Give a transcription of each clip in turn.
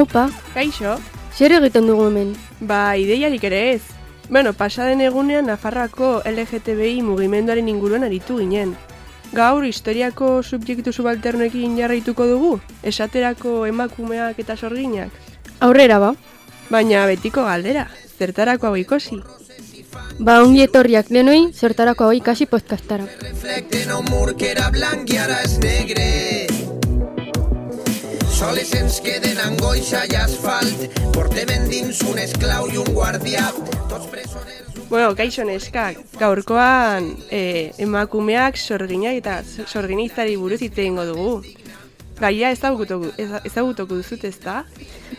Aupa, Kaixo? zer egiten dugu hemen? Ba, ideiarik ere ez. Bueno, pasaden egunean Nafarroako LGTBI mugimenduaren inguruan aritu ginen. Gaur historiako subjektu subalternoekin jarraituko dugu? Esaterako emakumeak eta sorginak? Aurrera ba. Baina betiko galdera, zertarako hau ikusi? Ba, ongi etorriak denoi, zertarako hau ikasi podcastara. Reflecte no mur que era blanc i ara és negre. Soles ens queden angoixa i asfalt. Portem endins un esclau i un guardià. Tots presoners... Bueno, kaixo neskak, gaurkoan emakumeak sorginak eta sorginiztari buruz hitz egingo dugu. Gaia ezagutuko duzut, ezta?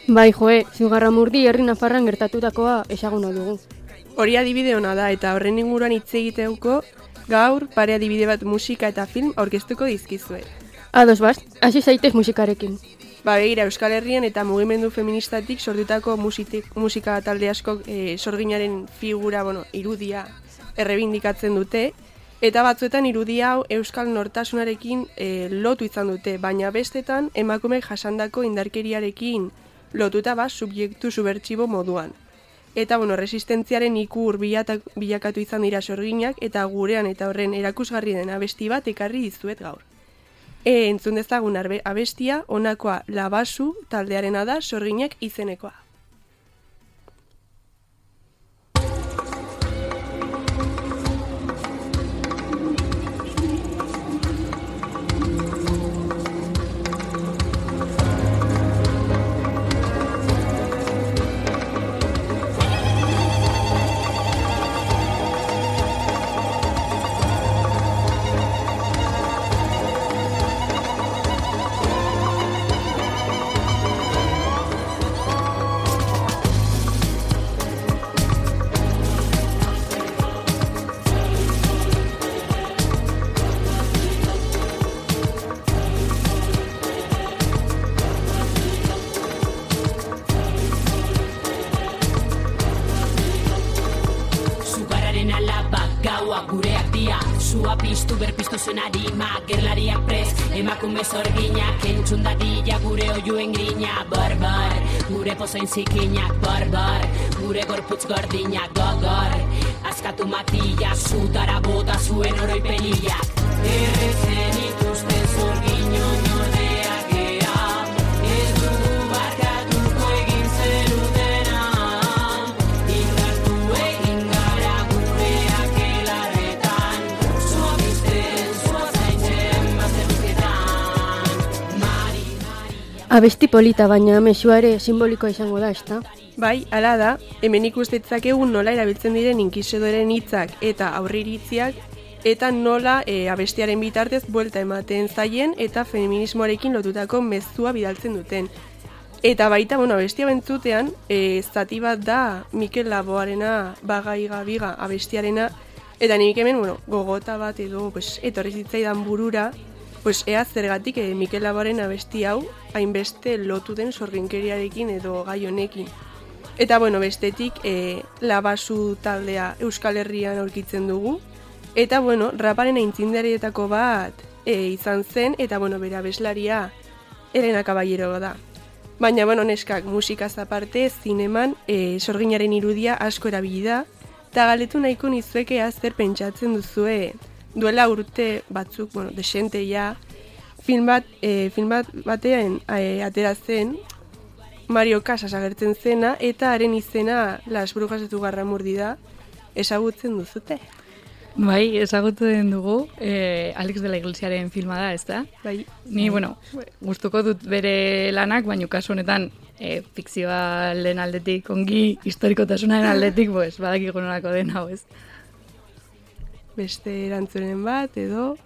Bai, joe, Zugarramurdi herri Nafarran gertatutakoa ezaguna dugu. Hori adibide ona da eta horren inguruan hitz egiteuko gaur pare adibide bat musika eta film aurkeztuko dizkizuet. Ados bast, hasi zaitez musikarekin. Ba, begira, Euskal Herrian eta mugimendu feministatik sortutako musika talde askok sorginaren figura, irudia errebindikatzen dute, eta batzuetan irudia hau euskal nortasunarekin lotu izan dute, baina bestetan emakumeek jasandako indarkeriarekin lotuta subjektu subertsibo moduan. Eta, resistentziaren ikur bilakatu izan dira sorginak, eta gurean eta horren erakusgarri den abesti bat ekarri dizuet gaur. Entzun dezagun abestia, honakoa Labasu taldearena da sorginak izenekoa. Gureak dia, sua piztu berpiztu zuen harima, gerlariak prez, emakume zorginak, entzun dadila gure oiuen grina, barbar, gure pozoin zikinak, barbar, gure gorputz gordinak, gogor, askatu matila, zutara bota zuen oroipenilak, errezen ikusten zorginon ordeak gea, ez dugu barkatuko egin zenutena, indartu egin gara gureak elarretan, zua bizten, zua zaintzen, bazterbuketan, Mari. Abesti polita, baina mesua ere simbolikoa izango da, ezta? Bai, hala da, hemen ikustetzakegu nola erabiltzen diren inkisidoreen hitzak eta aurreiritziak, eta nola abestiaren bitartez buelta ematen zaien eta feminismoarekin lotutako mezua bidaltzen duten. Eta baita, abestia bentzutean, zati bat da Mikel Laboarena Bagaiga biga abestiarena, eta nik hemen, gogota bat edo etorri zitzaidan burura, ea zergatik Mikel Laboaren abesti hau hainbeste lotu den sorginkeriarekin edo gai honekin. Eta bestetik Labasu taldea Euskal Herrian aurkitzen dugu, eta raparen aintzindarietako bat izan zen, eta bere abeslaria Elena Caballero da. Baina neskak musikaz aparte zineman sorginaren irudia asko erabili da, eta galetu nahiko nizuekea zer pentsatzen duzue duela urte batzuk, desente ja, film batean atera zen, Mario Casas agertzen zena, eta haren izena Las Brujas de Zugarramurdi da, ezagutzen duzute? Bai, ezagutzen dugu, Alex de la Iglesiaren filma da, ez da? Bai. Ni, gustuko dut bere lanak, baina kasu honetan fikzioaren aldetik, ongi historikotasunaren aldetik, badakiko nolako den hau, ez? Beste erantzunen bat, edo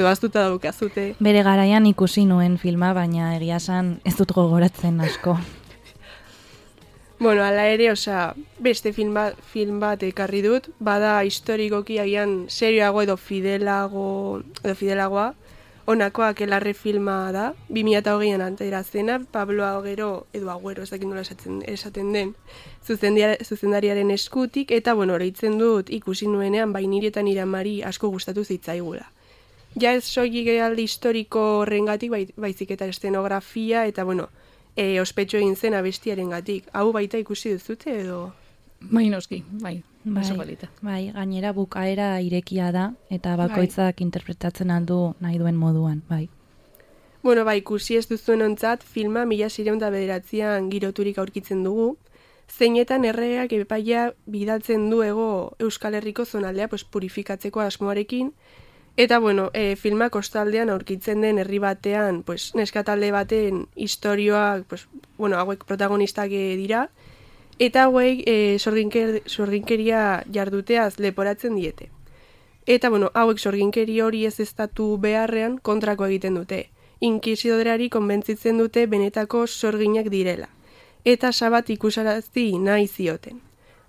aztuta daukazute. Bere garaian ikusi nuen filma, baina egia esan ez dut gogoratzen asko. Hala ere, beste film bat ekarri dut, bada historikoki agian serioago edo fidelagoa, honakoa Aquelarre filma da, 2008an atera zena, Pablo Agüero, ez dakit nola esaten den, zuzendariaren eskutik, eta oroitzen dut ikusi nuenean, niri eta nire amari asko gustatu zitzaigula. Ja ez soilik alde historiko horrengatik, baizik eta estenografia, eta ospetsu egin zen abestiarengatik. Hau baita ikusi duzute edo? Bai, noski, bai. Oso polita. Bai, gainera bukaera irekia da, eta bakoitzak interpretatzen aldu nahi duen moduan, bai. Bueno, bai, ikusi ez duzuen ontzat, filma 1609an giroturik aurkitzen dugu, zeinetan erregeak epaia bidaltzen du Euskal Herriko zonaldea purifikatzeko asmoarekin, eta bueno, filma kostaldean aurkitzen den herri batean, neskatalde baten istorioak, hauek protagonistak dira, eta hauek sorginkeria jarduteaz leporatzen diete. Eta bueno, hauek sorginkeri hori ez estatu beharrean kontrako egiten dute. Inkisidorari konbentzitzen dute benetako sorginak direla. Eta sabat ikusarazi nahi zioten.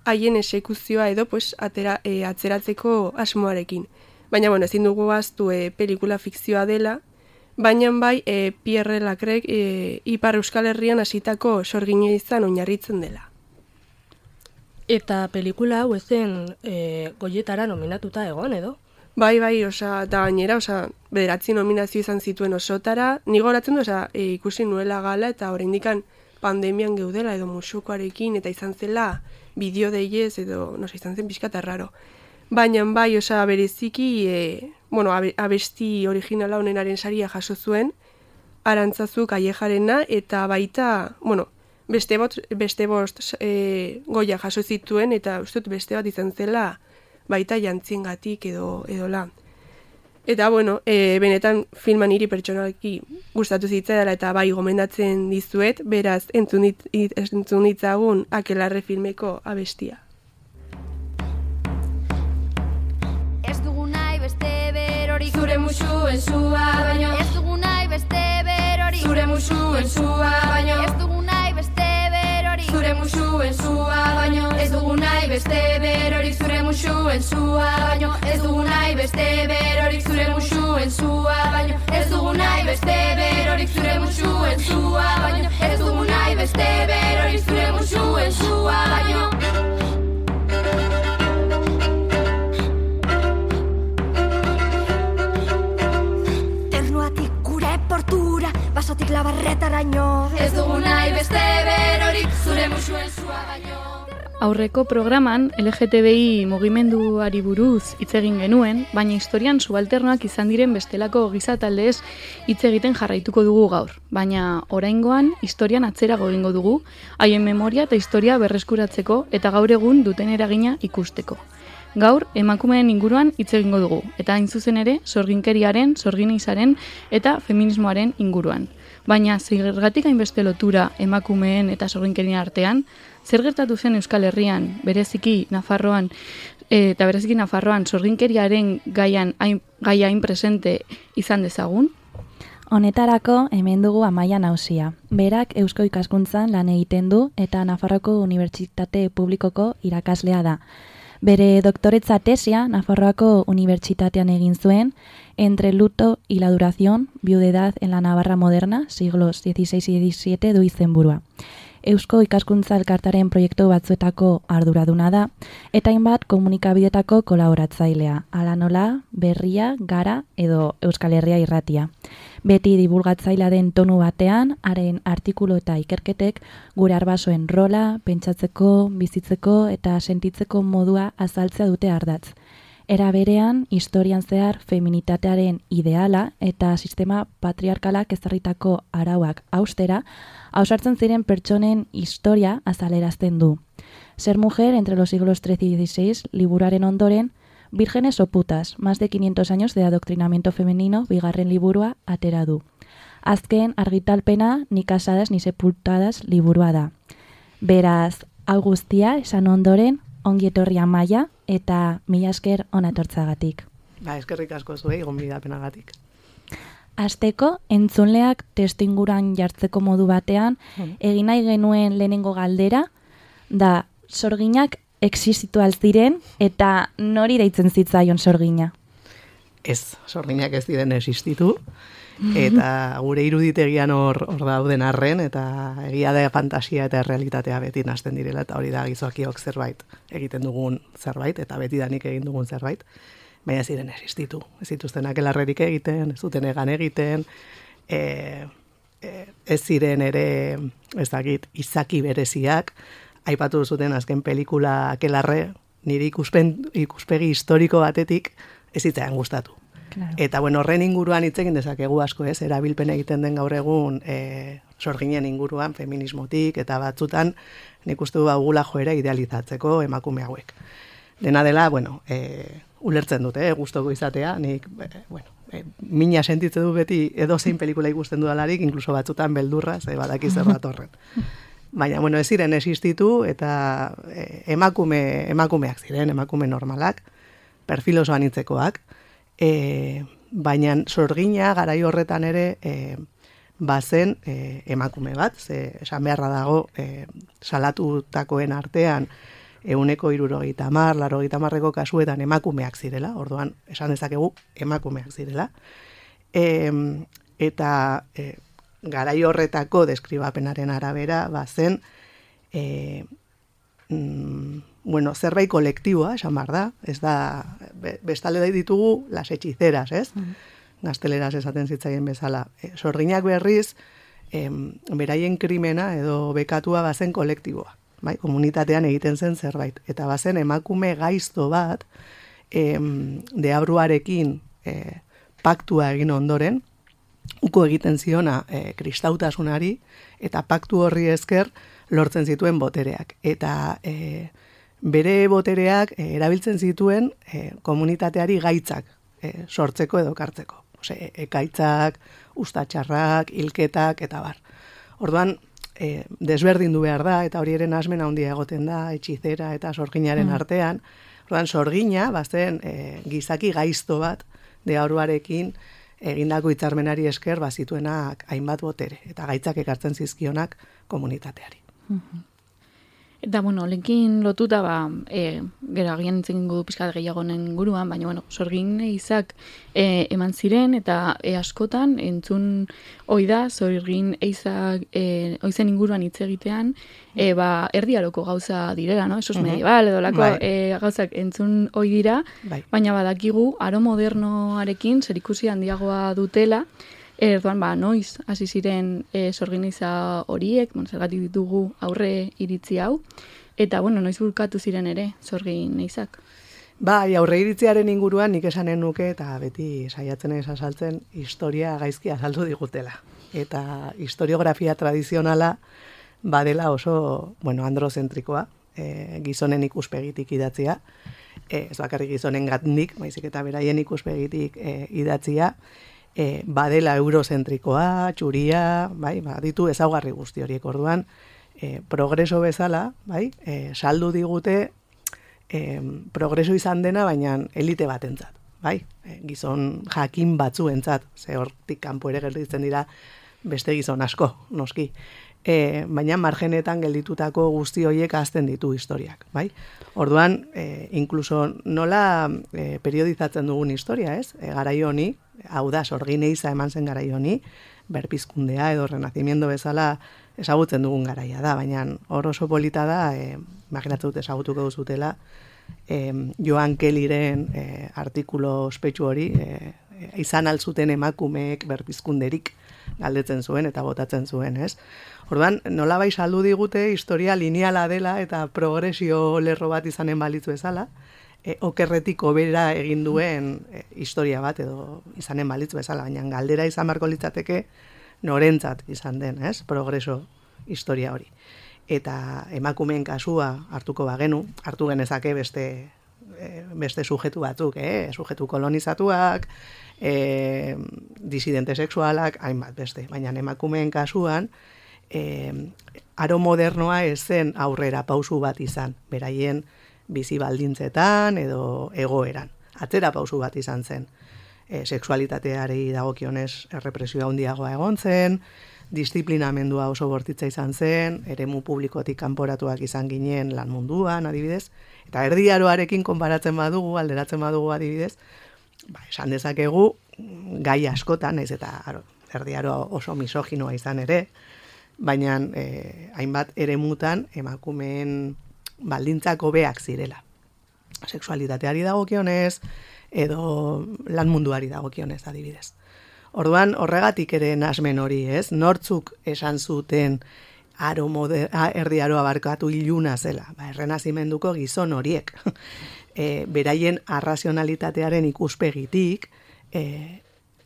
Haien esekuzioa edo atzeratzeko asmoarekin. Baina bueno, ezin dugu ahaztu pelikula fikzioa dela, baina bai Pierre Lacrek Ipar Euskal Herrian hasitako sorgina izan oinarritzen dela. Eta pelikula hau ezen Goyetara nominatuta egon, edo? Bai, eta gainera, 9 nominazio izan zituen osotara, ni goratzen du, ikusi nuela gala, eta oraindikan pandemian geudela, edo musukoarekin, eta izan zela bideo deiez, edo, izan zen pixkata raro. Baina bai, bereziki, abesti originala honenaren saria jaso zuen, Arantzazu Callejarena, eta baita, beste bost goia jaso zituen, eta uste dut beste bat izan zela baita jantziengatik edo la. Eta benetan filma niri pertsonalki gustatu zitzaidala eta bai gomendatzen dizuet, beraz entzun ditzagun Akelarre filmeko abestia. Ez dugu nahi beste berorik Zure musuen zua baino Ez dugu nahi beste berorik Zure musuen zua baino Ez dugu nahi beste berorik Zure musuen zua baino Ez dugu nahi beste berorik Zure musuen zua baino Ez dugu nahi beste berorik Zure musuen zua baino Ez dugu nahi beste berorik Zure musuen zua baino Ez dugu nahi beste berorik Zure musuen zua baino Ternuatik gure portura Basotik labarretaraino Ez dugu nahi beste berorik Zure musuen zua baino Aurreko programan LGTBI mugimenduari buruz hitz egin genuen, baina historian subalternoak izan diren bestelako gizataldeez hitz egiten jarraituko dugu gaur. Baina oraingoan historian atzerago egingo dugu, haien memoria eta historia berreskuratzeko eta gaur egun duten eragina ikusteko. Gaur emakumeen inguruan hitz egingo dugu, eta hain zuzen ere sorginkeriaren, sorginizaren eta feminismoaren inguruan. Baina zergatik hainbeste lotura emakumeen eta sorginkerien artean, zer gertatu zen Euskal Herrian, bereziki Nafarroan sorginkeriaren gaia hain presente izan dezagun? Honetarako hemen dugu Amaia Nausia. Berak Eusko Ikaskuntzan lan egiten du eta Nafarroako Unibertsitate Publikoko irakaslea da. Bere doktoretza tesia Nafarroako Unibertsitatean egin zuen, Entre luto y la duración, viudedad en la Navarra moderna, siglos XVI y XVII du izenburua. Eusko Ikaskuntza Elkartaren proiektu batzuetako arduraduna da, eta hainbat komunikabidetako kolaboratzailea, hala nola, Berria, Gara edo Euskal Herria Irratia. Beti divulgatzailea den tonu batean, haren artikulu eta ikerketek gure arbasoen rola, pentsatzeko, bizitzeko eta sentitzeko modua azaltzea dute ardatz. Era berean, historian zehar feminitatearen ideala eta sistema patriarkalak ezarritako arauak austera, ausartzen ziren pertsonen historia azalerazten du. Ser mujer entre los siglos XIII y XVI liburuaren ondoren, Vírgenes o putas, más de 500 años de adoctrinamiento femenino, bigarren liburua atera du. Azken argitalpena ni casadas ni sepultadas liburua da. Beraz, hau guztia esan ondoren, ongi etorri Amaia eta mila esker ona etortzagatik. Eskerrik asko zuei gonbidapenagatik. Hasteko, entzunleak testuinguruan jartzeko modu batean, egin nahi genuen lehenengo galdera, da sorginak existitu ziren eta nori deitzen zitzaion sorgina? Ez, sorginak ez diren existitu, eta gure iruditegian hor dauden arren, eta egia da fantasia eta realitatea beti nahasten direla, eta hori da gizokiok zerbait egiten dugun zerbait, eta beti danik egin dugun zerbait, baina ziren existitu. Ez zituzten akelarrerik egiten, ez duten egan egiten, ez ziren ere, ez dakit, izaki bereziak, aipatu zuten azken pelikula Akelarre, niri ikuspegi historiko batetik ez zitzaidan gustatu. Claro. Eta bueno, horren inguruan hitz egin dezakegu asko, ez? Erabilpen egiten den gaur egun sorginen inguruan, feminismotik, eta batzutan nik uste du gula joera idealizatzeko emakume hauek. Dena dela, bueno, ulertzen dute, gustoko izatea, nik, mina sentitzen du beti edozein pelikula ikusten dudalarik, inkluso batzutan beldurra, ze badaki zer datorren. Baina, bueno, ez ziren existitu, eta emakumeak ziren, emakume normalak, perfil oso anitzekoak, baina sorgina garai horretan ere bazen emakume bat, ze esan beharra dago salatutakoen artean 170, 80ko kasuetan emakumeak zirela, orduan esan dezakegu emakumeak zirela, eta garai horretako deskribapenaren arabera bazen zerbait kolektiboa, esan behar da, ez da, bestale ditugu las hechiceras, ez? Gazteleraz esaten zitzaien bezala. Sorginak berriz, beraien krimena edo bekatua bazen kolektiboa, bai? Komunitatean egiten zen zerbait. Eta bazen emakume gaizto bat, deabruarekin paktua egin ondoren, uko egiten ziona kristautasunari, eta paktu horri esker lortzen zituen botereak. Eta bere botereak erabiltzen zituen komunitateari gaitzak sortzeko edo kartzeko. Ekaitzak, ustatxarrak, hilketak, eta bar. Orduan, desberdindu behar da, eta hori eren asmen handia egoten da, hechizera eta sorginaren artean. Orduan, sorgina, bazen gizaki gaizto bat, deabruarekin egindako hitzarmenari esker bazituenak hainbat botere, eta gaitzak ekartzen zizkionak komunitateari. Eta, bueno, lenkin lotuta, gero agian entzegin du pixkat gehiagonen inguruan, baina, sorgin eizak eman ziren, eta askotan entzun oida, sorgin eizak oizen inguruan hitz egitean, erdiaroko gauza direla, no? Esos medieval, edo lako gauzak entzun oi dira, baina badakigu, aro modernoarekin zerikusi handiagoa dutela, Erdoan, noiz, hasi ziren sorginiza horiek, zergatik ditugu aurre iritzi hau, eta, noiz bulkatu ziren ere sorginizak. Bai, aurre iritziaren inguruan nik esanen nuke, eta beti saiatzen ez azaltzen, historia gaizki azaldu digutela. Eta historiografia tradizionala badela oso, androzentrikoa, gizonen ikuspegitik idatzia, ez bakarrik gizonen gatnik, baizik eta beraien ikuspegitik idatzia, badela eurozentrikoa, txuria, ditu ezaugarri guzti horiek. Orduan, progreso bezala, saldu digute progreso izan dena, baina elite batentzat, gizon jakin batzuentzat, ze hortik kanpo ere gelditzen dira beste gizon asko, noski. Baina margenetan gelditutako guzti horiek hazten ditu historiak, Orduan, inkluso nola periodizatzen dugun historia, ez? Garai honi, hau da, sorgineiza eman zen garai honi, berpizkundea edo renazimiento bezala ezagutzen dugun garaia da, baina hor oso polita da, imaginatzen dut ezagutuko duzutela, Joan Kellyren artikulo ospetsu hori, izan altzuten emakumeek berpizkunderik galdetzen zuen eta botatzen zuen, ez? Orduan, nolabait saldu digute historia lineala dela eta progresio lerro bat izanen balitzu bezala, okerretik hobera egin duen historia bat edo izanen balitzu bezala, baina galdera izan barko litzateke norentzat izan den, ez? Progreso historia hori. Eta emakumeen kasua hartuko bagenu, hartu genezake beste sujetu batzuk, sujetu kolonizatuak, disidente sexualak, hainbat beste. Baina emakumeen kasuan, aro modernoa ez zen aurrera pausu bat izan, beraien bizi baldintzetan edo egoeran. Atzera pausu bat izan zen. Sexualitateari dagokionez errepresioa handiagoa egon zen, disiplinamendua oso bortitza izan zen, eremu publikotik kanporatuak izan ginen lan munduan, adibidez, eta erdiaroarekin konparatzen badugu, alderatzen badugu adibidez, esan dezakegu gai askotan, ez eta erdiaro oso misoginoa izan ere, baina hainbat eremutan emakumeen baldintzak hobeak zirela. Sexualitateari dagokionez, edo lan munduari dagokionez adibidez. Orduan horregatik ere nasmen hori, ez? Nortzuk esan zuten erdi aroa barkatu iluna zela, errenazimenduko gizon horiek. Beraien arrazionalitatearen ikuspegitik,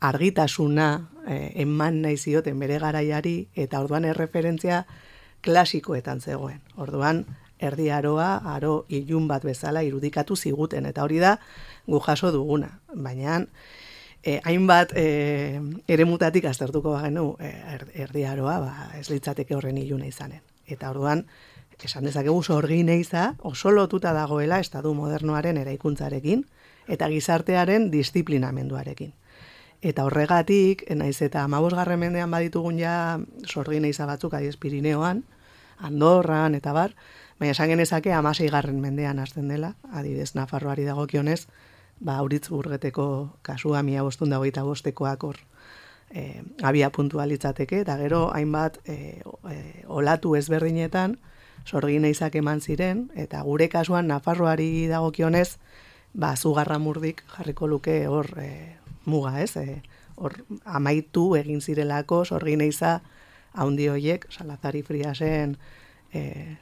argitasuna eman nahi zioten bere garaiari, eta orduan erreferentzia klasikoetan zegoen. Orduan, erdi aroa, aro ilun bat bezala irudikatu ziguten, eta hori da gu jaso duguna. Baina, hainbat eremutatik aztertuko bagenu erdi aroa, ez litzateke horren iluna izanen. Eta orduan, esan dezakegu sorgin eiza oso lotuta dagoela estatu modernoaren eraikuntzarekin eta gizartearen disiplinamenduarekin. Eta horregatik, naiz eta 15. mendean baditugun ja sorgin eiza batzuk adiez Pirineoan, Andorran eta bar, baina esan genezake 16. mendean hasten dela, adibidez Nafarroari dagokionez, Auritzburgeteko kasua 1525-koak hor abia puntua litzateke, eta gero hainbat olatu ezberdinetan sorgin eizak eman ziren, eta gure kasuan Nafarroari dagokionez, Zugarramurdik jarriko luke hor muga, ez? Hor amaitu egin zirelako sorgin eiza haundi hoiek, Salazar Friasen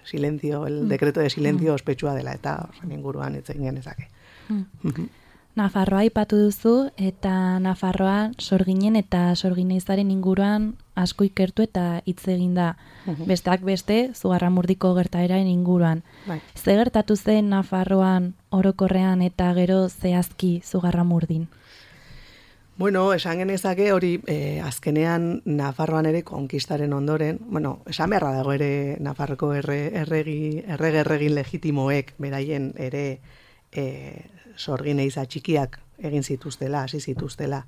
silencio, el decreto de silencio ospetsua dela, eta horren inguruan hitz egin genezake. Nafarroa aipatu duzu, eta Nafarroa sorginen eta sorgineizaren inguruan asko ikertu eta hitz egin da. Besteak beste, Zugarramurdiko gertaeraren inguruan. Ze gertatu zen Nafarroan orokorrean eta gero zehazki Zugarramurdin? Bueno, esan genezake hori azkenean Nafarroan ere konkistaren ondoren, esan beharra dago ere Nafarroko erregin legitimoek beraien ere sorgin eiza txikiak egin zituztela, hasi zituztela.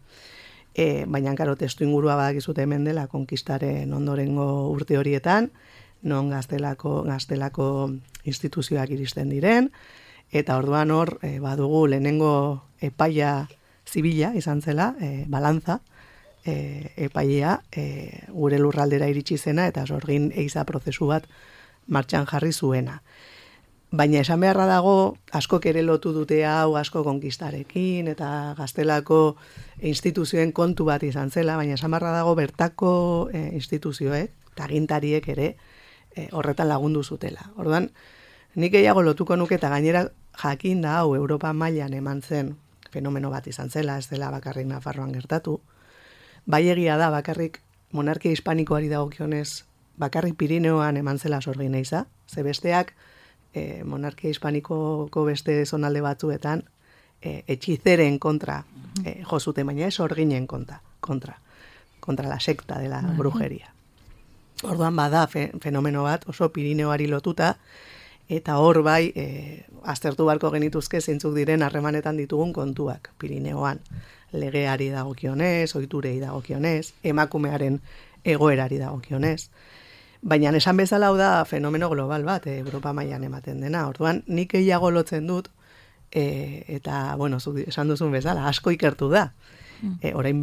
Baina, karo, testu ingurua badakizute hemen dela konkistaren ondorengo urte horietan, non gaztelako instituzioak iristen diren, eta orduan hor badugu lehenengo epaia zibila izan zela, balantza epaia gure lurraldera iritsi zena eta sorgin eiza prozesu bat martxan jarri zuena. Baina esan beharra dago, askok ere lotu dute hau asko konkistarekin eta gaztelako instituzioen kontu bat izan zela, baina esan beharra dago bertako instituzioek eta agintariek ere horretan lagundu zutela. Orduan, nik gehiago lotuko nuke eta gainera jakin da hau Europa mailan eman zen fenomeno bat izan zela, ez dela bakarrik Nafarroan gertatu. Bai egia da bakarrik monarkia hispanikoari dagokionez bakarrik Pirineoan eman zela sorgin eiza, ze besteak monarkia hispanikoko beste zonalde batzuetan etxizeren kontra jo zuten, baina ez sorginen kontra la secta de la brujeria. Orduan bada fenomeno bat oso Pirineoari lotuta, eta hor bai aztertu barko genituzke zeintzuk diren harremanetan ditugun kontuak Pirineoan. Legeari dagokionez, ohiturei dagokionez, emakumearen egoerari dagokionez. Baina esan bezala hau da fenomeno global bat, Europa mailan ematen dena. Orduan, nik gehiago lotzen dut, eta, esan duzun bezala, asko ikertu da. Orain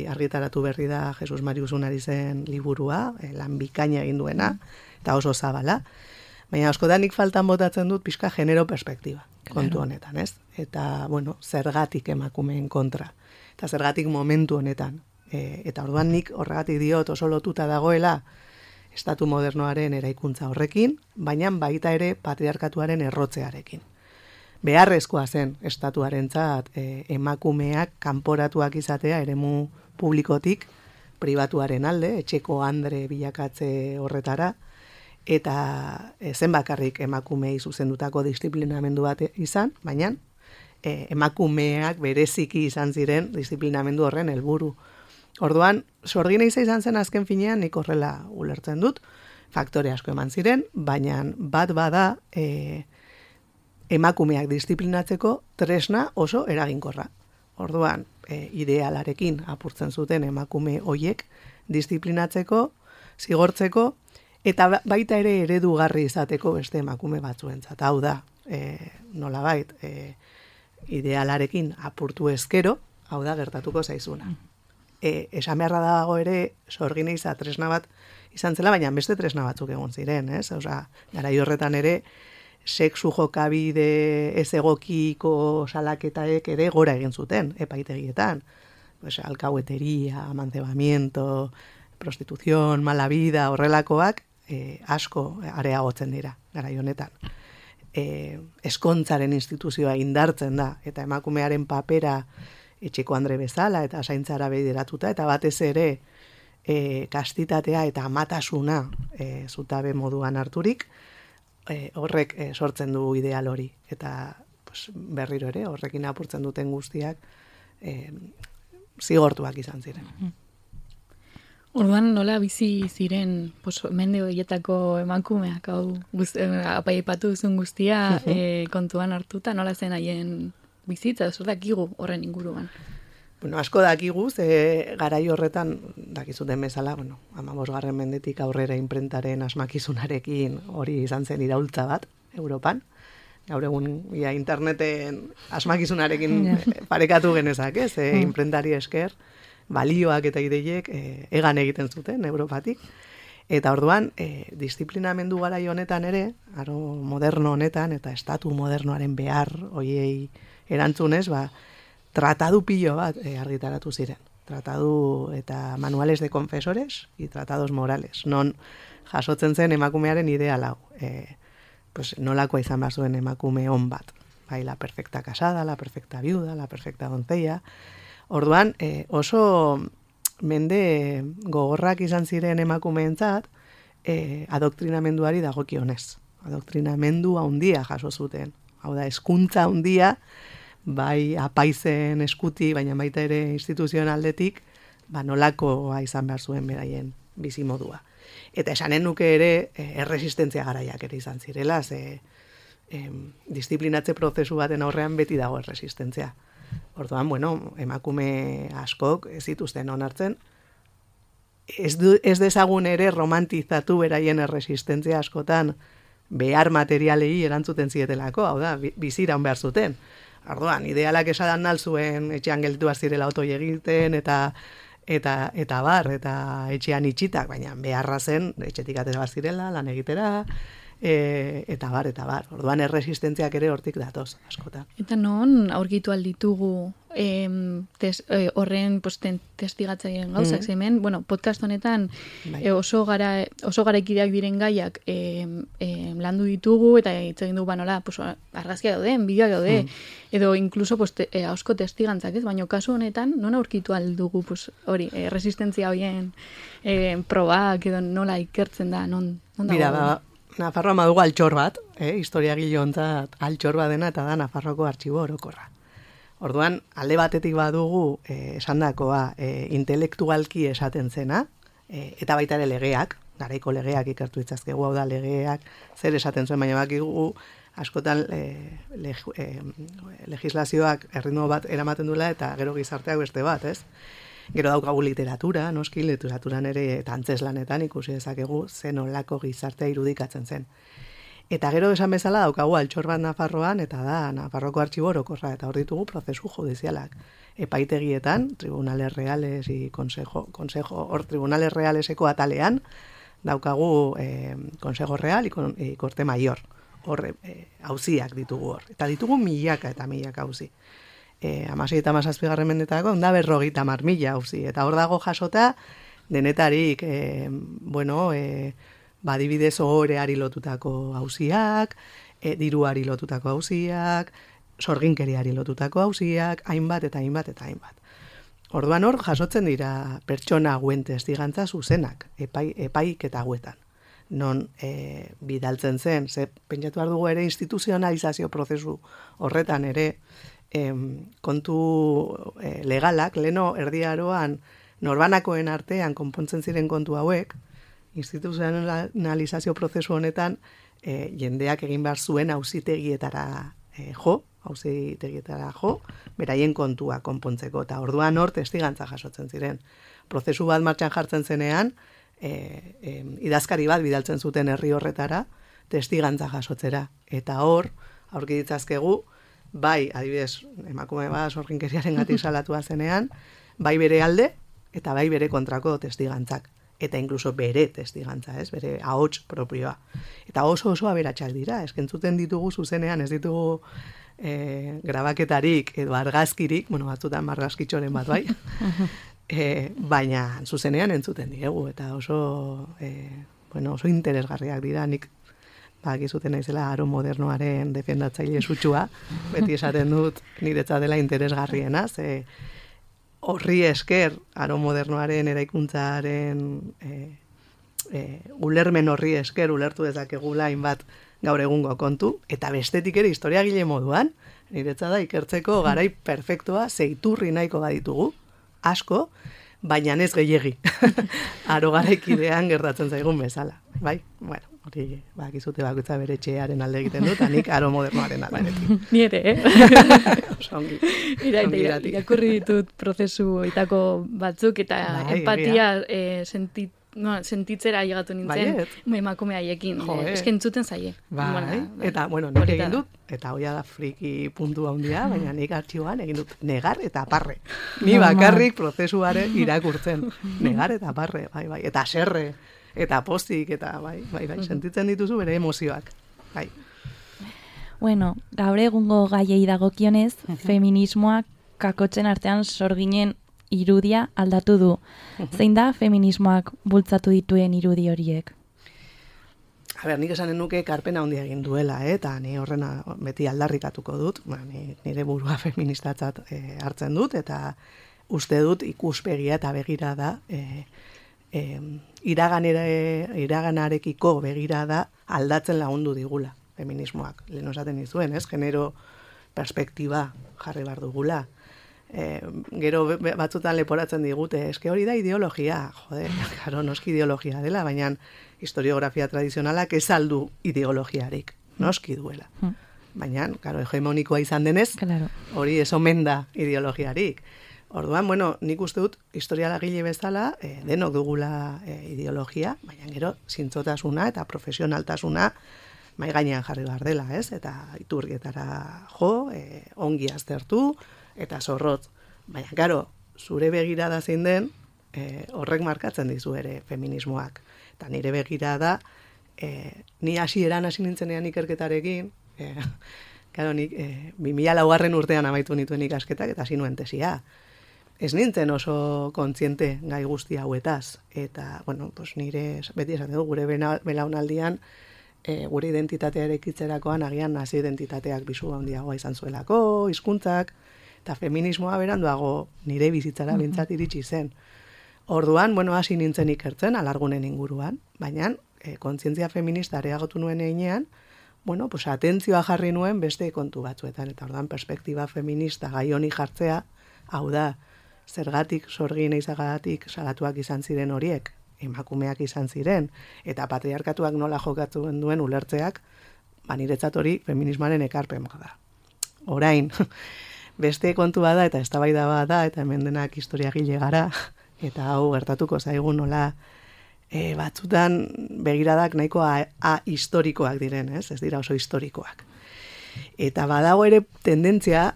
argitaratu berri da Jesus Marius Unarizen liburua, lan bikaina egin duena, eta oso zabala. Baina askotan nik faltan botatzen dut pixka genero perspektiba kontu honetan, ez? Eta, zergatik emakumeen kontra, eta zergatik momentu honetan. Eta orduan nik horregatik diot oso lotuta dagoela estatu modernoaren eraikuntza horrekin, baina baita ere patriarkatuaren errotzearekin. Beharrezkoa zen estatuarentzat emakumeak kanporatuak izatea eremu publikotik pribatuaren alde, etxeko andre bilakatze horretara, eta zen bakarrik emakumei zuzendutako disiplinamendu bat izan, baina emakumeak bereziki izan ziren disiplinamendu horren helburu. Orduan, sorgin eiza izan zen azken finean, nik horrela ulertzen dut, faktore asko eman ziren, baina bat bada emakumeak disiplinatzeko tresna oso eraginkorra. Orduan, idealarekin apurtzen zuten emakume hoiek disiplinatzeko, zigortzeko, eta baita ere eredugarri izateko beste emakume batzuentzat. Hau da, nolabait, idealarekin apurtu ezkero, hau da gertatuko zaizuna. Esan beharra dago ere sorgin eiza tresna bat izan zela, baina beste tresna batzuk egon ziren, ez? Garai horretan ere sexu jokabide ez egokiko salaketaek ere gora egin zuten epaitegietan. pues, alkaueteria, amancebamiento, prostituzion, mala vida, horrelakoak, asko areagotzen dira, garai honetan. Eskontzaren instituzioa indartzen da, eta emakumearen papera etxeko andre bezala, eta zaintzara bideratuta, eta batez ere kastitatea eta amatasuna zutabe moduan harturik, horrek sortzen du ideal hori. Eta pues, berriro ere, horrekin apurtzen duten guztiak zigortuak izan ziren. Orduan nola bizi ziren mende horietako emakumeak, hau apaipatu duzun guztia kontuan hartuta, nola zen haien bizitza, zer dakigu horren inguruan? Bueno, asko dakigu, garai horretan, dakizuten bezala, 15. mendetik aurrera inprentaren asmakizunarekin hori izan zen iraultza bat, Europan. Gaur egun interneten asmakizunarekin parekatu genezak, ez? Inprentari esker, balioak eta ideiek egan egiten zuten Europatik. Eta orduan, disiplinamendu garai honetan ere, aro moderno honetan, eta estatu modernoaren behar hoiei erantzunez, tratadu pilo bat argitaratu ziren. Tratadu eta manuales de confesores y tratados morales. Non jasotzen zen emakumearen ideal hau. Pues nolakoa izan behar zuen emakume on bat. Bai, la perfecta casada, la perfecta viuda, la perfecta doncella. Orduan, oso mende gogorrak izan ziren emakumeentzat, adoktrinamenduari dagokionez. Adoktrinamendu handia jaso zuten. Hau da, hezkuntza handia, bai apaizen eskuti, baina baita ere instituzioen aldetik, nolakoa izan behar zuen beraien bizimodua. Eta esanen nuke ere, erresistentzia garaiak ere izan zirela, disiplinatze prozesu baten aurrean beti dago erresistentzia. Orduan, emakume askok ez zituzten onartzen, ez dezagun ere romantizatu beraien erresistentzia askotan behar materialei erantzuten zietelako, hau da, biziraun behar zuten. Orduan, idealak esadan nalzuen etxean gelditu zirela otoi egiten, eta etxean itxitak, baina beharra zen, etxetik atera zirela, lan egitera, eta bar. Orduan erresistentziak ere hortik datoz, askotan. Eta non aurkitu alditugu horren testigatzaileen gauzak, hemen, podcast honetan oso garaikideak diren gaiak landu ditugu, eta hitz egin dugu nola, argazkia dauden, bideoak daude, edo incluso asko testigantzak, ez? Baina kasu honetan, non aurkitu aldugu hori, resistentzia horien probak, edo nola ikertzen da, non dago? Mira, Nafarroa madugu altxor bat, historiagile ontzat altxor bat dena, eta da Nafarroko artxibo orokorra. Orduan, alde batetik badugu esandakoa intelektualki esaten zena, eta baita ere legeak, garaiko legeak ikertu itzazkegu, hau da legeak zer esaten zuen, baina bakigu askotan legislazioak erritmo bat eramaten duela, eta gero gizarteak beste bat, ez? Gero daukagu literatura, noski, literaturan ere eta antzeslanetan ikusi dezakegu zen olako gizartea irudikatzen zen. Eta gero esan bezala daukagu altxor bat Nafarroan, eta da Nafarroko artxibo orokorra, eta hor ditugu prozesu judizialak. Epaitegietan, tribunales reales y consejo, hor tribunales realeseko atalean, daukagu consejo real y corte mayor. Hor, auziak ditugu hor. Eta ditugu milaka eta milaka auzi. 16 eta 17 mendetako, da 50.000 auzi. Eta hor dago jasota, denetarik, adibidez ohoreari lotutako auziak, diruari lotutako auziak, sorginkeriari lotutako auziak, hainbat. Orduan hor, jasotzen dira pertsona hauen testigantza zuzenak, epaik eta hauetan. Non bidaltzen zen, pentsatu behar dugu ere instituzionalizazio prozesu horretan ere, kontu legalak, leno erdiaroan norbanakoen artean konpontzen ziren kontu hauek, instituzionalizazio prozesu honetan jendeak egin behar zuen auzitegietara jo, beraien kontua konpontzeko, eta orduan hor testigantza jasotzen ziren. Prozesu bat martxan jartzen zenean, idazkari bat bidaltzen zuten herri horretara, testigantza jasotzera, eta hor, aurki ditzazkegu, bai, adibidez, emakume bat sorginkeriaren gatik salatua zenean, bai bere alde, eta bai bere kontrako testigantzak. Eta inkluso bere testigantza, ez? Bere ahots propioa. Eta oso aberatsak dira, eskentzuten ditugu zuzenean, ez ditugu grabaketarik edo argazkirik, bueno, batzutan margazkitxoren bat bai, baina zuzenean entzuten diegu, eta oso interesgarriak dira, nik bakizuten naizela aro modernoaren defendatzaile sutsua, beti esaten dut niretzat dela interesgarriena, ze horri esker aro modernoaren eraikuntzaren ulermen horri esker ulertu dezakegula hainbat gaur egungo kontu, eta bestetik ere historiagile moduan, niretzat da ikertzeko garai perfektua, zeiturri nahiko baditugu, asko, baina ez gehiegi. Aro garaikidean gertatzen zaigun bezala. Bai? Bueno, hori bakizute bakoitza bere etxearen alde egiten dut, anik aro modernoaren aldenetik. Ni ere, Ongi. Irakurri ditut prozesu itako batzuk, eta empatia sentitzera llegatu nintzen emakume haiekin. Eske entzuten zaie. Bai, eta, nik egin dut, eta hoia da friki puntu handia, baina nik artxiboan egin dut negar eta parre. Ni bakarrik prozesuare irakurtzen. Negar eta parre, bai, eta serre, eta pozik, eta bai, sentitzen dituzu bere emozioak. Bai. Bueno, gaur egungo gaiei dagokionez, feminismoak kakotzen artean sorginen irudia aldatu du. Zein da feminismoak bultzatu dituen irudi horiek? Nik esanen nuke karpena handia egin duela, eta ni horrena beti aldarrikatuko dut, nire burua feministatzat hartzen dut, eta uste dut ikuspegia eta begirada iraganarekiko begirada aldatzen lagundu digula feminismoak. Lehen osaten dizuen, genero perspektiba jarri behar dugula. Gero batzutan leporatzen digute, eske hori da ideologia, karo, noski ideologia dela, baina historiografia tradizionalak ez aldu ideologiarik, noski duela. Baina, karo, hegemonikoa izan denez, hori ez omen da ideologiarik. Orduan, nik uste dut, historialagile bezala, denok dugula ideologia, baina gero, zintzotasuna eta profesionaltasuna mai gainean jarri behar dela, eta iturrietara jo, ongi aztertu, eta zorrotz. Baina, karo, zure begirada zein den, horrek markatzen dizu ere feminismoak. Eta nire begirada, ni hasieran hasi nintzenean ikerketarekin, karo, nik 2004 urtean amaitu nituen ikasketak, eta hasi nuen tesia. Ez nintzen oso kontziente gai guzti hauetaz. Eta, nire, beti esan dugu, gure belaunaldian, gure identitatea erekitzerakoan agian nazi identitateak bizu handiagoa izan zuelako, hizkuntzak, eta feminismoa beranduago nire bizitzara bintzat iritsi zen. Orduan, hasi nintzen ikertzen, alargunen inguruan, baina kontzientzia feminista areagotu nuen einean, atentzioa jarri nuen beste kontu batzuetan, eta orduan perspektiba feminista gai honi jartzea, hau da, zergatik sorgin eizagatik salatuak izan ziren horiek, emakumeak izan ziren, eta patriarkatuak nola jokatzen duen ulertzeak, niretzat hori feminismoaren ekarpen da. Orain, beste kontu bada eta eztabaida bada, eta hemen denak historiagile gara, eta hau gertatuko zaigu nola batzutan begiradak nahiko historikoak diren, ez dira oso historikoak. Eta badago ere tendentzia,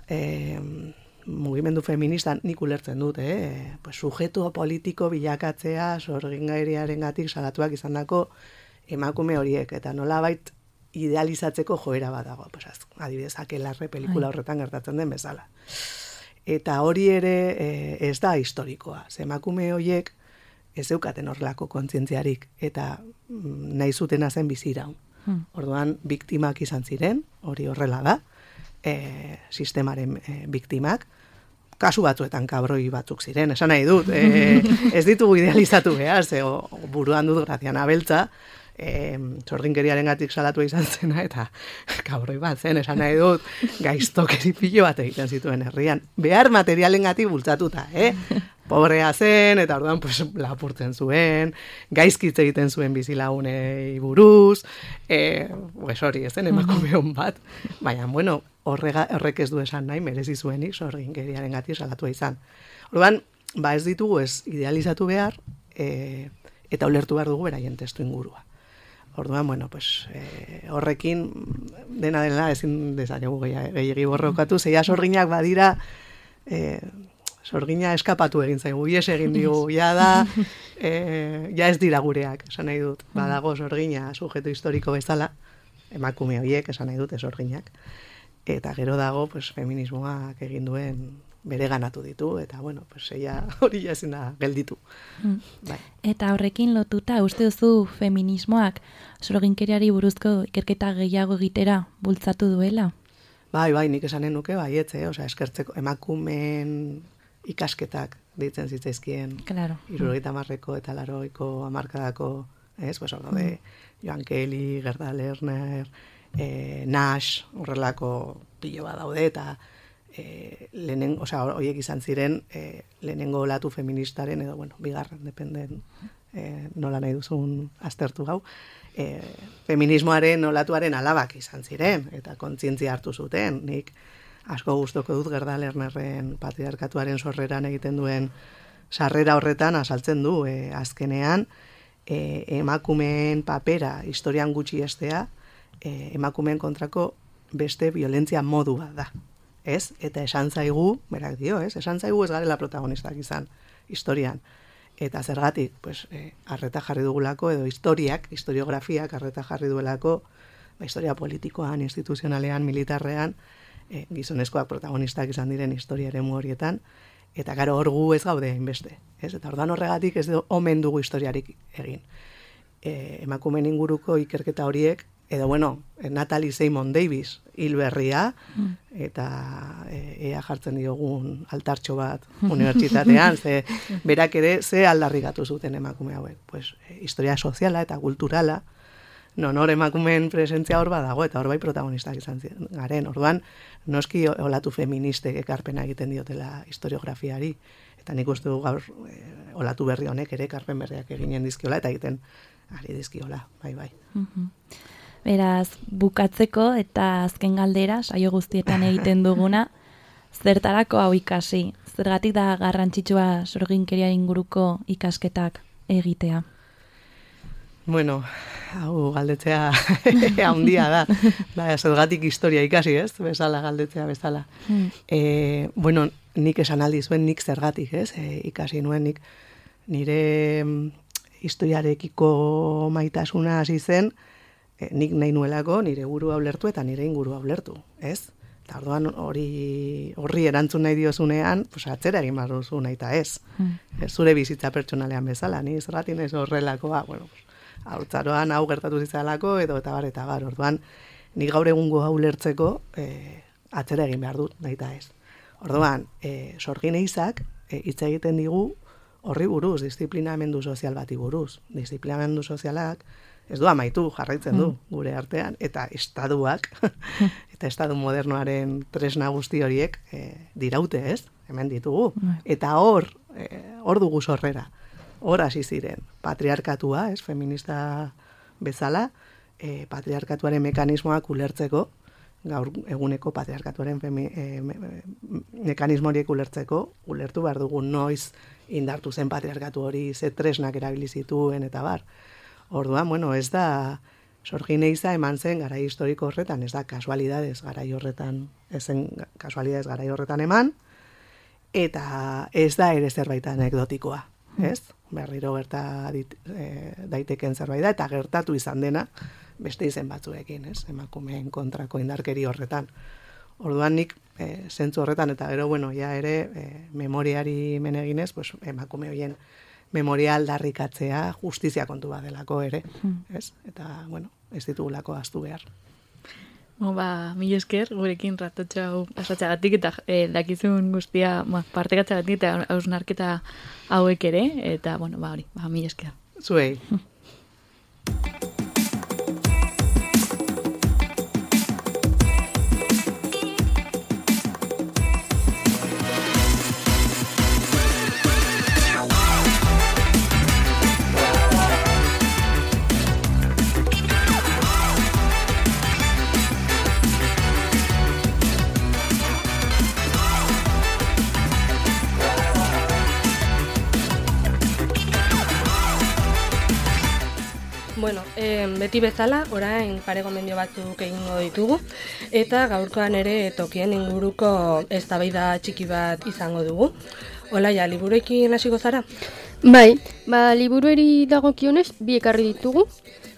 mugimendu feministan nik ulertzen dut, sujeto politiko bilakatzea sorgingairiarengatik salatuak izandako emakume horiek, eta nolabait idealizatzeko joera badago, adibidez, Akelarre pelikula horretan gertatzen den bezala. Eta hori ere ez da historikoa, emakume horiek ez zeukaten horrelako kontzientziarik, eta nahi zutena zen biziraun. Orduan, biktimak izan ziren, hori horrela da, sistemaren biktimak, kasu batzuetan kabroi batzuk ziren, esan nahi dut, ez ditugu idealizatu behar, buruan dut Graziana Beltza, sorginkeriarengatik salatu izan zena, eta kabroi bat zen, esan nahi dut, gaiztokeri pilo bat egiten zituen herrian, behar materialengatik bultzatuta, pobrea zen, eta orduan lapurtzen zuen, gaizkitze egiten zuen bizilagunei buruz, hori ez zen emakume hon bat, baina, horrek ez du esan nahi, merezi zuenik sorginkeriarengatik salatua izan. Orduan, ez ditugu ez idealizatu behar, eta ulertu behar dugu beraien testu ingurua. Orduan, horrekin dena ezin dezakegu gehiagi borrokatu, zeia sorginak badira, sorgina eskapatu egin zaigu, ies egin digu, ja ez dira gureak, esan nahi dut, badago sorgina sujeto historiko bezala, emakume horiek, esan nahi dut, sorginak, eta gero dago, pues, feminismoak egin duen bere ganatu ditu, eta, bueno, pues, hori ezin da gelditu. Bai. Eta horrekin lotuta, uste duzu feminismoak sorginkeriari buruzko ikerketa gehiago egitera bultzatu duela? Bai, nik esanen nuke, baietze, eskertzeko emakumeen ikasketak deitzen zitzaizkien, claro. 70ko eta 80ko hamarkadako, pues hor daude, Joan Kelly, Gerda Lerner, Nash, horrelako pilo bat daude, eta horiek izan ziren lehenengo olatu feministaren, edo, bueno, bigarren, dependen nola nahi duzun aztertu gau, feminismoaren olatuaren alabak izan ziren, eta kontzientzia hartu zuten. Nik asko gustoko dut Gerda Lernerren patriarkatuaren sorreran egiten duen sarrera horretan azaltzen du, azkenean, emakumeen papera historian gutxi estea, emakumeen kontrako beste violentzia modu bat da. Ez? Eta esan zaigu, berak dio, esan zaigu ez garela protagonistak izan historian. Eta zergatik, pues, arreta jarri dugulako, edo historiografiak arreta jarri duelako, historia politikoan, instituzionalean, militarrean, gizonezkoak protagonistak izan diren historia eremu horietan, eta gero hor gu ez gaude inbeste. Eta orduan horregatik ez omen dugu historiarik egin. Emakumeen inguruko ikerketa horiek, edo, bueno, Natalie Simon Davis hil berria, eta ea jartzen diogun altartxo bat unibertsitatean, ze berak ere ze aldarrikatu zuten emakume hauek. Pues, historia soziala eta kulturala, hor emakumeen presentzia hor badago, eta hor bai protagonistak izan garen. Orduan, noski olatu feministek ekarpena egiten diotela historiografiari, eta nik uste du gaur olatu berri honek ere ekarpen berriak eginen dizkiola, eta egiten ari dizkiola, bai. Beraz, bukatzeko eta azken galdera, saio guztietan egiten duguna, zertarako hau ikasi? Zergatik da garrantzitsua sorginkeria inguruko ikasketak egitea? Bueno, hau galdetzea handia da. Zergatik historia ikasi, ez? Bezala galdetzea bezala. Bueno, nik esan aldi zuen, nik zergatik, ez? Ikasi nuen, nik nire historiarekiko maitasuna hasi zen, nik nahi nuelako nire burua ulertu eta nire ingurua ulertu, ez? Eta orduan horri erantzun nahi diozunean, pues atzera egin behar duzu nahi eta ez. Zure bizitza pertsonalean bezala, ni zergatik naiz horrelakoa, bueno, haurtzaroan hau gertatu zitzalako, edo eta bar. Orduan, nik gaur egungo hau ulertzeko atzera egin behar dut nahi eta ez. Orduan, sorgin eizak hitz egiten digu horri buruz, disiplinamendu sozial bati buruz. Disiplinamendu sozialak ez du amaitu, jarraitzen du gure artean, eta estaduak, eta estadu modernoaren tresna guzti horiek diraute, ez? Hemen ditugu. Eta hor dugu sorrera. Hor hasi ziren. Patriarkatua, ez? Feminista bezala, patriarkatuaren mekanismoak ulertzeko, gaur eguneko patriarkatuaren mekanismo horiek ulertu behar dugu noiz indartu zen patriarkatu hori, ze tresnak erabili zituen, eta bar. Orduan, bueno, ez da sorgin eiza eman zen garai historiko horretan, ez da kasualidades garai horretan eman, eta ez da ere zerbait anekdotikoa, ez? Berriro gerta daiteken zerbait da, eta gertatu izan dena beste izen batzuekin, ez? Emakumeen kontrako indarkeri horretan. Orduan nik zentzu horretan, eta gero, bueno, ja ere memoriari meneginez, pues, emakume horien memoria aldarrikatzea justizia kontu bat delako ere, ez? Eta, bueno, ez ditugulako ahaztu behar. Mila esker, gurekin ratotxa hau pasatzagatik eta dakizun guztia partekatzagatik eta hausnarketa hauek ere, eta, bueno, mila esker. Zuei. Bueno, beti bezala, orain pare gomendio batzuk egingo ditugu, eta gaurkoan ere tokien inguruko eztabaida txiki bat izango dugu. Olaia, liburuekin hasiko zara? Bai, liburueri dagokionez bi ekarri ditugu.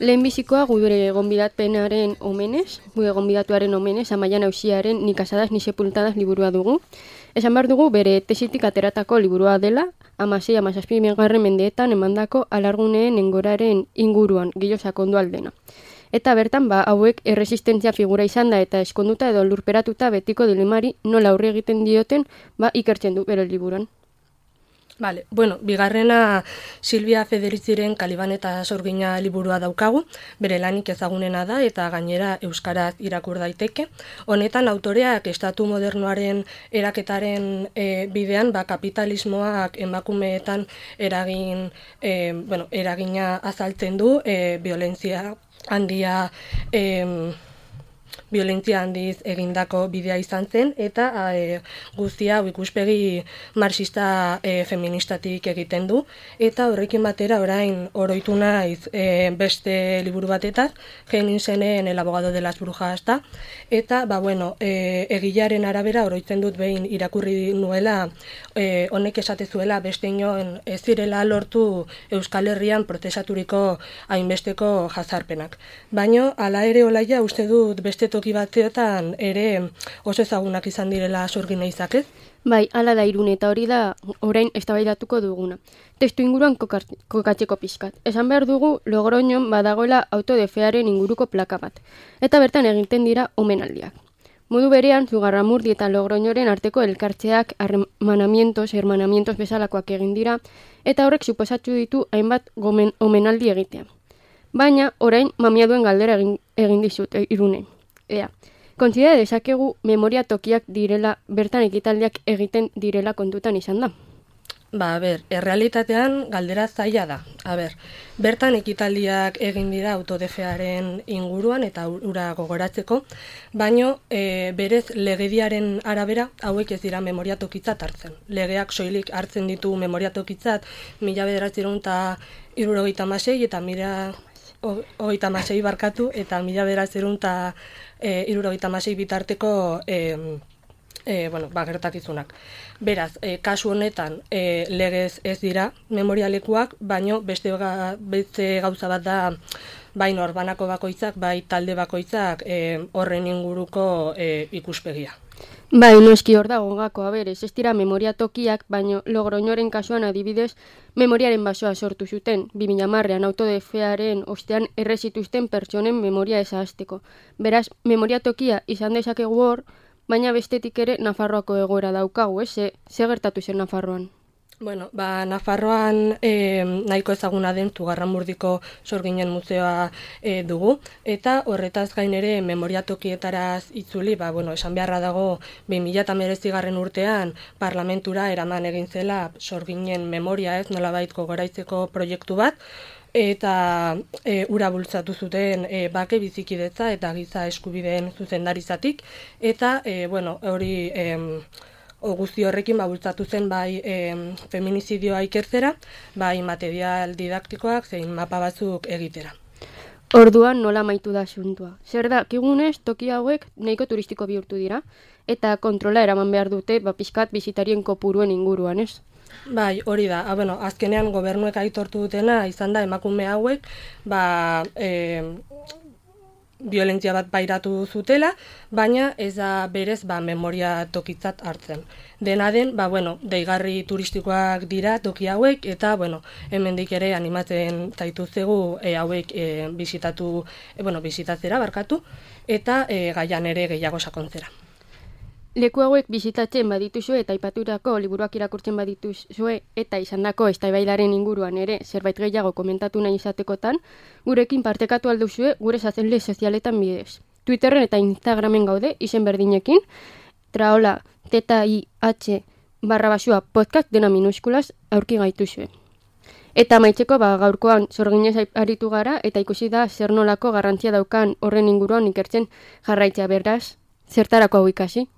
Lehenbizikoa gure gonbidatpenaren omenez, gure gonbidatuaren omenez, Amaia Nausiaren Ni casadas ni sepultadas liburua dugu. Esan behar dugu bere tesitik ateratako liburua dela, 16-17 mendeetan emandako alarguneen engoraren inguruan, gehiago sakondu aldena. Eta bertan, hauek erresistentzia figura izan da eta eskonduta edo lurperatuta betiko dilemari nola aurre egiten dioten, ikertzen du bere liburuan. Vale, bueno, bigarrena Silvia Federitziren Kaliban eta Sorgina liburua daukagu, bere lanik ezagunena da eta gainera euskaraz irakur daiteke. Honetan autoreak estatu modernoaren eraketaren bidean, kapitalismoak emakumeetan eragina azaltzen du, violentzia handiz egindako bidea izan zen, eta guztia ikuspegi marxista feministatik egiten du, eta horrekin batera orain oroitu naiz beste liburu batetaz, Jenningsenen El abogado de las brujas da, eta egilaren arabera oroitzen dut behin irakurri nuela, honek esatezuela beste inoen ez zirela lortu Euskal Herrian prozesaturiko hainbesteko jazarpenak. Baina, hala ere olaia uste dut beste toki batzeotan ere oso ezagunak izan direla Sorgina izakez? Bai, hala da Irune, eta hori da orain eztabaidatuko duguna. Testu inguruan kokatzeko pixkat. Esan behar dugu Logroñon badagoela autodefearen inguruko plaka bat, eta bertan egiten dira omenaldiak. Modu berean, Zugarramurdi eta Logroñoren arteko elkartzeak hermanamientos bezalakoak egin dira, eta horrek suposatu ditu hainbat omenaldi egitea. Baina, orain, mamia duen galdera egin dizut, Irune. Kontsidera dezakegu memoria tokiak direla, bertan ekitaldiak egiten direla kontutan izan da? Errealitatean galdera zaila da. Bertan ekitaldiak egin dira autodefearen inguruan eta ura gogoratzeko, baino berez legediaren arabera hauek ez dira memoria tokitzat hartzen. Legeak soilik hartzen ditu memoria tokitzat 1976 eta 1976 bitarteko gertakizunak. Beraz, kasu honetan legez ez dira memorialekuak, baino beste gauza bat da bai norbanako bakoitzak, bai talde bakoitzak horren inguruko ikuspegia. Bai, noski hor dago gako, ez dira memoria tokiak, baino Logroñoren kasuan adibidez, memoriaren basoa sortu zuten, 2010an autodefearen ostean errezituzten pertsonen memoria ezahazteko. Beraz, memoria tokia izan dezakegu hor, baina bestetik ere Nafarroako egoera daukagu, ze gertatu zen Nafarroan? Nafarroan nahiko ezaguna den Zugarramurdiko Sorginen museoa dugu, eta horretaz gain ere memoria tokietaraz itzuli, esan beharra dago 2019 urtean parlamentura eraman egin zela Sorginen memoria nolabait gogoraitzeko proiektu bat, eta ura bultzatu zuten bake bizikidetza eta giza eskubideen zuzendarizatik, eta hori guzti horrekin bultzatu zen bai feminizidioa ikertzera, bai material didaktikoak zein mapa batzuk egitera. Orduan nola amaitu da asuntua. Zer da, kigunez toki hauek nahiko turistiko bihurtu dira, eta kontrola eraman behar dute pixkat bisitarien kopuruen inguruan, ez? Bai, hori da. Azkenean gobernuek aitortu dutena izan da emakume hauek violentzia bat pairatu zutela, baina ez da berez memoria tokitzat hartzen. Dena den, deigarri turistikoak dira toki hauek, eta hemendik ere animatzen zaituztegu hauek bisitatzera barkatu, eta gaian ere gehiago sakontzera. Leku hauek bisitatzen badituzue eta aipaturako liburuak irakurtzen badituzue eta izandako eztabaidaren inguruan ere zerbait gehiago komentatu nahi izatekotan, gurekin partekatu alduzue gure sare sozialetan bidez. Twitterren eta Instagramen gaude izen berdinekin, traola TTIH_podcast dena minuskulaz aurki gaituzue. Eta amaitzeko gaurkoan Sorginez aritu gara eta ikusi da zer nolako garrantzia daukan horren inguruan ikertzen jarraitzea, beraz, zertarako hau ikasi?